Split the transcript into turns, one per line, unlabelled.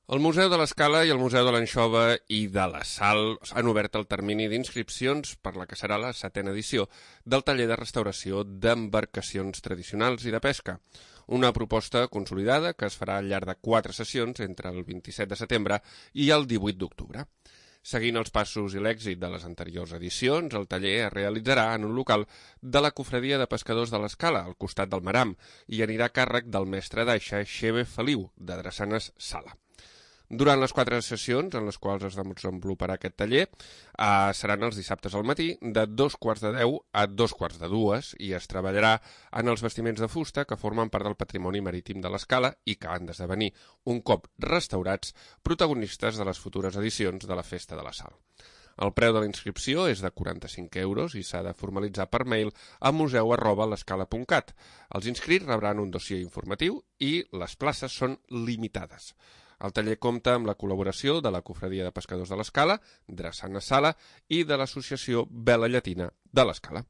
El Museu de l'Escala i el Museu de l'Anxova i de la Sal han obert el termini d'inscripcions per la que serà la 7ª edició del taller de restauració d'embarcacions tradicionals i de pesca, una proposta consolidada que es farà al llarg de 4 sessions entre el 27 de setembre i el 18 d'octubre. Seguint els passos i l'èxit de les anteriors edicions, el taller es realitzarà en un local de la Cofradia de Pescadors de l'Escala, al costat del Maram, i anirà a càrrec del mestre d'aixa Xeve Feliu, de Drassanes Sala. Durant les 4 sessions en les quals es desenvoluparà aquest taller seran els dissabtes al matí de 2:15 a 2:45 i es treballarà en els vestiments de fusta que formen part del patrimoni marítim de l'Escala i que han d'esdevenir, un cop restaurats, protagonistes de les futures edicions de la Festa de la Sal. El preu de la inscripció és de 45 € i s'ha de formalitzar per mail a museu@lescala.cat. Els inscrits rebran un dossier informatiu i les places són limitades. El taller compta amb la col·laboració de la Cofradia de Pescadors de l'Escala, Drassanes Sala i de l'Associació Vela Llatina de l'Escala.